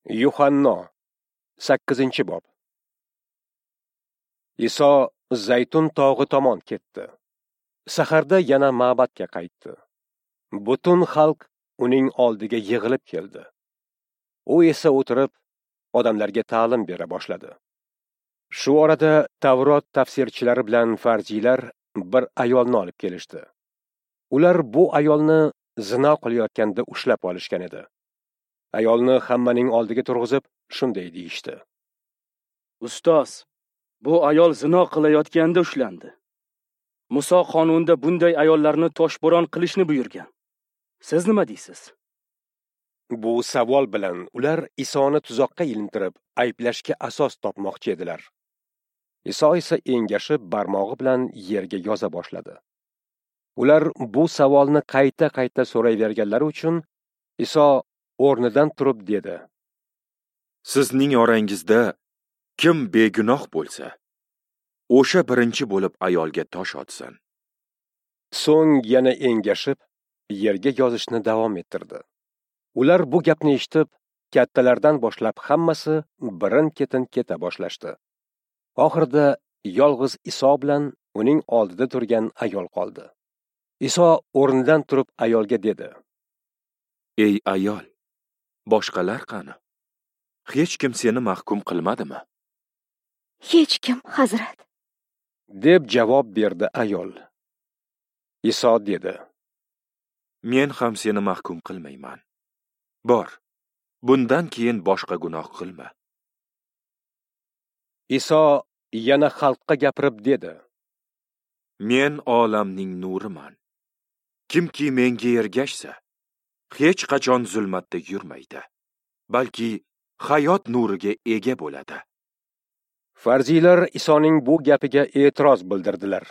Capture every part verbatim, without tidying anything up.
Yuhanno sakkizinchi bob. Iso Zaytun tog'i tomon ketdi. Saharda yana ma'badga qaytdi. Butun xalq uning oldiga yig'ilib keldi. U esa o'tirib, odamlarga ta'lim bera boshladi. Shu orada Tavrot tafsirchilari bilan farziylar bir ayolni olib kelishdi. Ular bu ayolni zino qilayotganda ushlab olishgan edi. Ayolni hammaning oldiga turg'izib, shunday deyishdi: Ustoz, bu ayol zino qilayotganda ushlandi. Muso qonunida bunday ayollarni toshbo'ron qilishni buyurgan. Siz nima deysiz? Bu savol bilan ular Isoni tuzoqqa ilintirib, ayblashga asos topmoqchi edilar. Iso esa engashib, barmog'i bilan yerga yoza boshladi. Ular bu savolni qayta-qayta so'rayverganlari uchun Iso o'rnidan turib dedi: Sizning orangizda kim begunoh bo'lsa, o'sha birinchi bo'lib ayolga tosh otsin. So'ng yana engashib, yerga yozishni davom ettirdi. Ular bu gapni eshitib, kattalardan boshlab hammasi birin-ketin keta boshlashdi. Oxirida yolg'iz Iso bilan uning oldida turgan ayol qoldi. Iso o'rnidan turib ayolga dedi: Ey ayol, boshqalar qani? Hech kim seni mahkum qilmadimi? Hech kim, Hazrat, deb javob berdi ayol. Iso dedi: Men ham seni mahkum qilmayman. Bor, bundan keyin boshqa gunoh qilma. Iso yana xalqqa gapirib dedi: Men olamning nuriman. Kimki menga ergashsa, hech qachon zulmatda yurmaydi, balki hayot nuriga ega bo'ladi. Farziylar Isoning bu gapiga e'tiroz bildirdilar.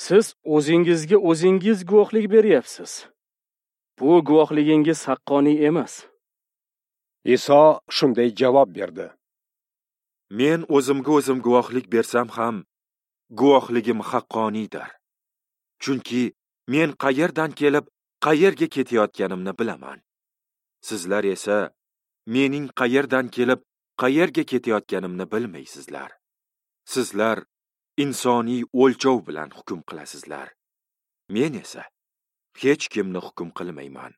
Siz o'zingizga o'zingiz guvohlik beryapsiz. Bu guvohligingiz haqqoniy emas. Iso shunday javob berdi: Men o'zimga o'zim guvohlik bersam ham, guvohligim haqqoniydir. Chunki men qayerdan kelib, qayerga ketayotganimni bilaman. Sizlar esa mening qayerdan kelib, qayerga ketayotganimni bilmaysizlar. Sizlar insoniy o'lchov bilan hukm qilasizlar. Men esa hech kimni hukm qilmayman.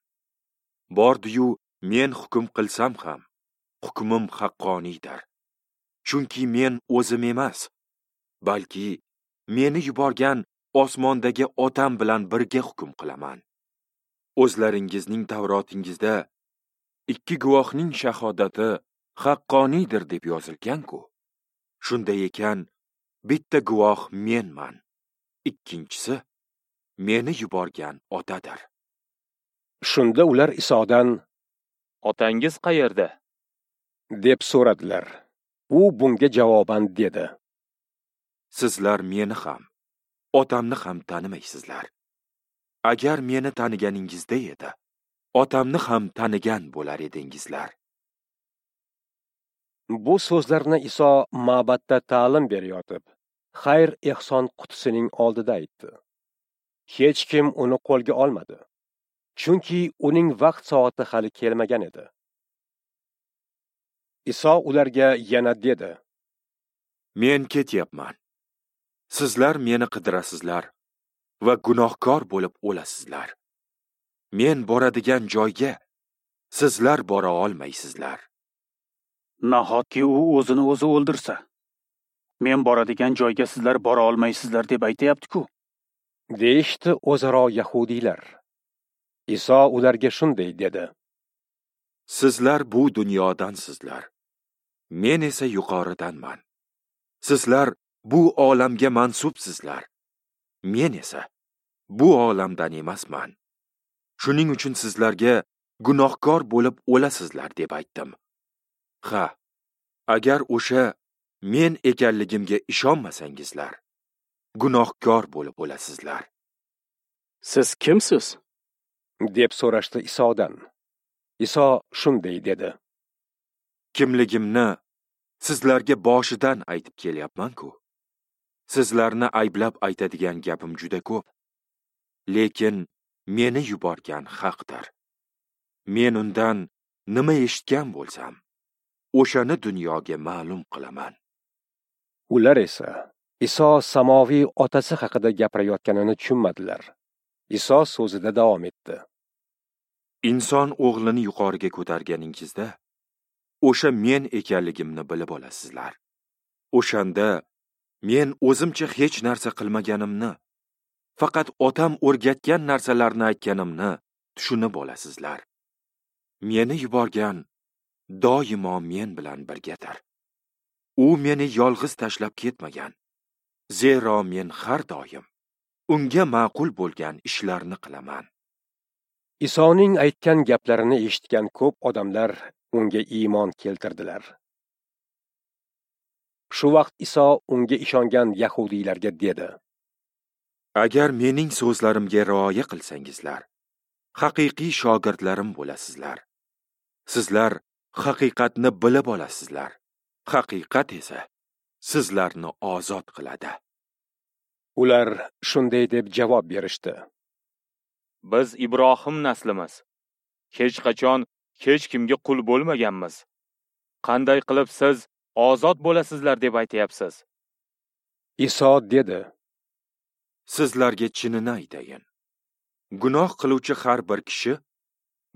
Bordi-yu men hukm qilsam ham, hukmim haqqoniydir. Chunki men o'zim emas, balki meni yuborgan osmondagi Otam bilan birga hukm qilaman. O'zlaringizning Tavrotingizda ikki guvohning shahodati haqqoniydir deb yozilgan-ku. Shunday ekan, bitta guvoh menman, ikkinchisi meni yuborgan Otadir. Shunda ular Isodan: Otangiz qayerda? deb so'radilar. U bunga javoban dedi: Sizlar meni ham, otamni ham tanimaysizlar. Agar meni taniganingizda edi, otamni ham tanigan bo'lar edingizlar. Bu so'zlarni Iso ma'badda ta'lim berayotib, xayr-ehson qutisining oldida aytdi. Hech kim uni qo'lga olmadi, chunki uning vaqt soati hali kelmagan edi. Iso ularga yana dedi: Men ketyapman. Sizlar meni qidirasizlar va gunohkor bo'lib o'lasizlar. Men boradigan joyga sizlar bora olmaysizlar. Nahotki u o'zini o'zi o'ldirsa? Men boradigan joyga sizlar bora olmaysizlar deb aytayapti-ku, deyishdi o'zaro yahudiylar. Iso ularga shunday dedi: Sizlar bu dunyodansizlar. Men esa yuqoridanman. Sizlar bu olamga mansubsizlar. Men esa bu olamdan emasman. Shuning uchun sizlarga gunohkor bo'lib o'lasizlar deb aytdim. Ha, agar o'sha men ekanligimga ishonmasangizlar, gunohkor bo'lib o'lasizlar. Siz kimsiz? deb so'rashdi Isodan. Iso shunday dedi: Kimligimni sizlarga boshidan aytib kelyapman-ku. Sizlarni ayblab aytadigan gapim juda ko'p. Lekin meni yuborgan haqdir. Men undan nima eshitgan bo'lsam, o'shani dunyoga ma'lum qilaman. Ular esa Iso samoviy otasi haqida gapirayotganini tushunmadilar. Iso so'zida davom etdi. Inson o'g'lini yuqoriga ko'targaningizda, o'sha men ekanligimni bilib olasizlar. O'shanda men o'zimcha hech narsa qilmaganimni, faqat otam o'rgatgan narsalarni aytganimni tushunib olasizlar. Meni yuborgan doimo men bilan birgadir. U meni yolg'iz tashlab ketmagan. Zero men har doim unga ma'qul bo'lgan ishlarni qilaman. Isoning aytgan gaplarini eshitgan ko'p odamlar unga iymon keltirdilar. Shu vaqt Iso unga ishongan yahudiylarga dedi: Agar mening so'zlarimga rioya qilsangizlar, haqiqiy shogirdlarim bo'lasizlar. Sizlar haqiqatni bilib olasizlar. Haqiqat esa sizlarni ozod qiladi. Ular shunday deb javob berishdi: Biz Ibrohim naslimiz. Hech qachon hech kimga qul bo'lmaganmiz. Qanday qilib siz ozod bo'lasizlar deb aytayapsiz? Iso dedi: Sizlarga chinini aytayin. Gunoh qiluvchi har bir kishi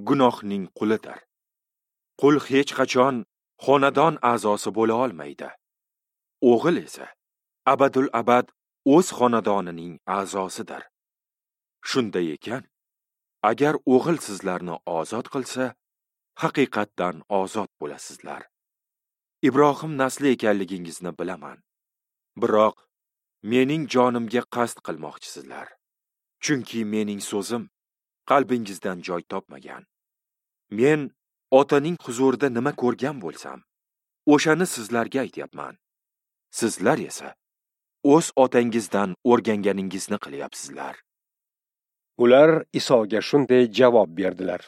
gunohning qulidir. Qul hech qachon xonadon a'zosi bo'la olmaydi. O'g'il esa abadul abad o'z xonadonining a'zosidir. Shunday ekan, agar o'g'il sizlarni ozod qilsa, haqiqatdan ozod bo'lasizlar. Ibrohim nasli ekanligingizni bilaman. Biroq mening jonimga qasd qilmoqchisizlar. Chunki mening so'zim qalbingizdan joy topmagan. Men otaning huzurida nima ko'rgan bo'lsam, o'shani sizlarga aytyapman. Sizlar esa o'z otangizdan o'rganganingizni qilyapsizlar. Ular Isoga shunday javob berdilar: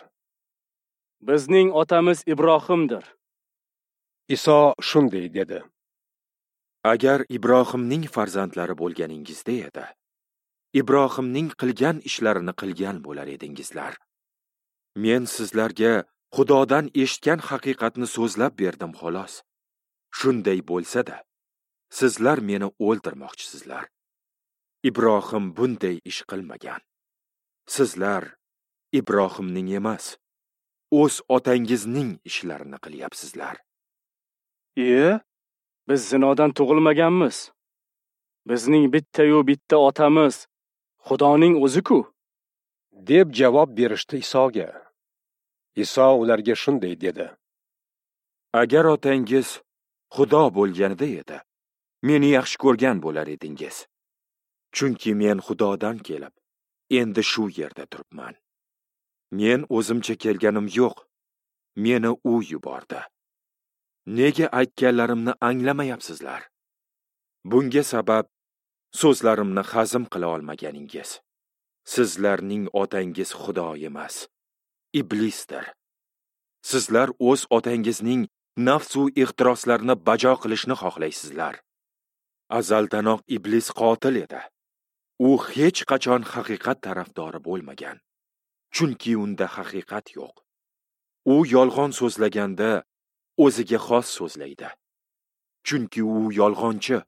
Bizning otamiz Ibrohimdir. Iso shunday dedi: Agar Ibrohimning farzandlari bo'lganingizda edi, Ibrohimning qilgan ishlarini qilgan bo'lar edingizlar. Men sizlarga Xudodan eshitgan haqiqatni so'zlab berdim xolos. Shunday bo'lsa-da, sizlar meni o'ldirmoqchisizlar. Ibrohim bunday ish qilmagan. Sizlar Ibrohimning emas, o'z otangizning ishlarini qilyapsizlar. E, biz zinodan tug'ilmaganmiz. Bizning bitta-yu bitta otamiz Xudoning o'zi-ku, deb javob berishdi Isoga. Iso ularga shunday dedi: Agar otangiz Xudo bo'lganida edi, meni yaxshi ko'rgan bo'lar edingiz. Chunki men Xudodan kelib, endi shu yerda turibman. Men o'zimcha kelganim yo'q, meni u yubordi. Nega aytganlarimni anglamayapsizlar? Bunga sabab so'zlarimni hazm qila olmaganingiz. Sizlarning otangiz Xudo emas, iblisdir. Sizlar o'z otangizning nafsu ehtiroslarini bajo qilishni xohlaysizlar. Azaldanoq iblis qotil edi. U hech qachon haqiqat tarafdori bo'lmagan. Chunki unda haqiqat yo'q. U yolg'on so'zlaganda o'ziga xos so'zlaydi. Chunki u yolg'onchi,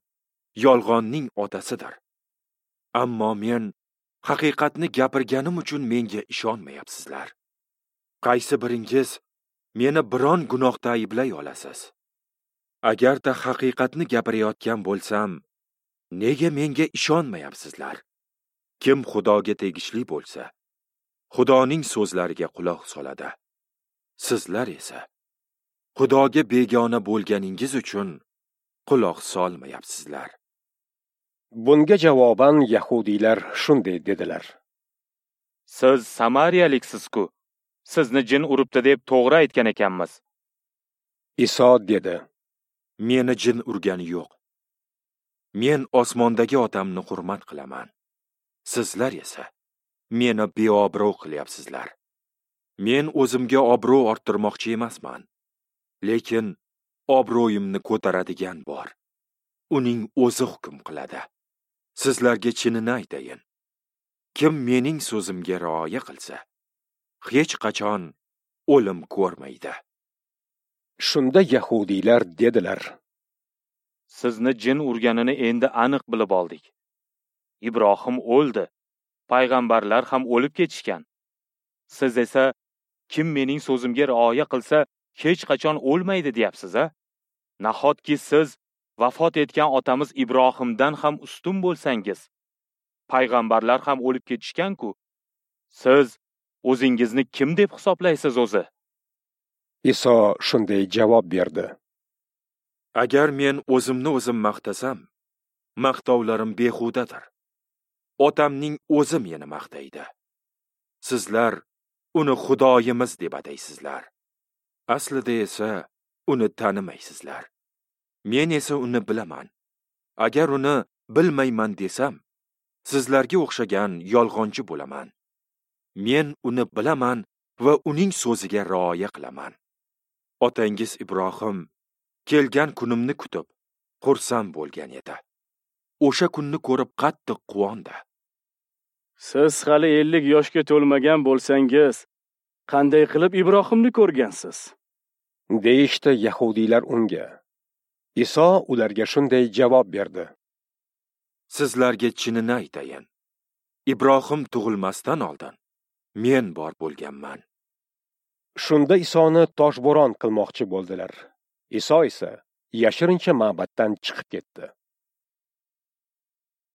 yolg'onning otasidir. Ammo men haqiqatni gapirganim uchun menga ishonmayapsizlar. Qaysi biringiz meni biron gunohda ayblay olasiz? Agarda haqiqatni gapirayotgan bo'lsam, nega menga ishonmayapsizlar? Kim Xudoga tegishli bo'lsa, Xudoning so'zlariga quloq soladi. Sizlar esa Xudoga begona bo'lganingiz uchun quloq solmayapsizlar. Bunga javoban yahudiylar shunday dedilar: Siz Samariyaliksiz-ku. Sizni jin uribdi deb to'g'ri aytgan ekanmiz. Iso dedi: Meni jin urgani yo'q. Men osmondagi otamni hurmat qilaman. Sizlar esa meni beobro' qilyapsizlar. Men o'zimga obro' orttirmoqchi emasman. Lekin obro'yimni ko'taradigan bor. Uning o'zi hukm qiladi. Sizlarga chinini aytayin. Kim mening so'zimga rioya qilsa, hech qachon o'lim ko'rmaydi. Shunda yahudiylar dedilar: Sizni jin urganini endi aniq bilib oldik. Ibrohim o'ldi, payg'ambarlar ham o'lib ketishgan. Siz esa kim mening so'zimga rioya qilsa, hech qachon o'lmaydi deyapsiz, a? Nahotki siz vafot etgan otamiz Ibrohimdan ham ustun bo'lsangiz? Payg'ambarlar ham o'lib ketishgan-ku. Siz o'zingizni kim deb hisoblaysiz o'zi? Iso shunday javob berdi: Agar men o'zimni o'zim maqtasam, maqtovlarim behudadir. Otamning o'zi meni maqtaydi. Sizlar uni Xudoyimiz deb ataysizlar. Aslida esa uni tanimaysizlar. Men esa uni bilaman. Agar uni bilmayman desam, sizlarga o'xshagan yolg'onchi bo'laman. Men uni bilaman va uning so'ziga rioya qilaman. Otangiz Ibrohim kelgan kunimni kutib, xursand bo'lgan edi. O'sha kunni ko'rib qattiq quvondi. Siz hali ellik yoshga to'lmagan bo'lsangiz, qanday qilib Ibrohimni ko'rgansiz? Deyishdi yahudiylar unga. Iso ularga shunday javob berdi: Sizlarga chinini aytayin. Ibrohim tug'ilmasdan oldin men bor bo'lganman. Shunda Isoni toshbo'ron qilmoqchi bo'ldilar. Iso esa yashirincha ma'batdan chiqib ketdi.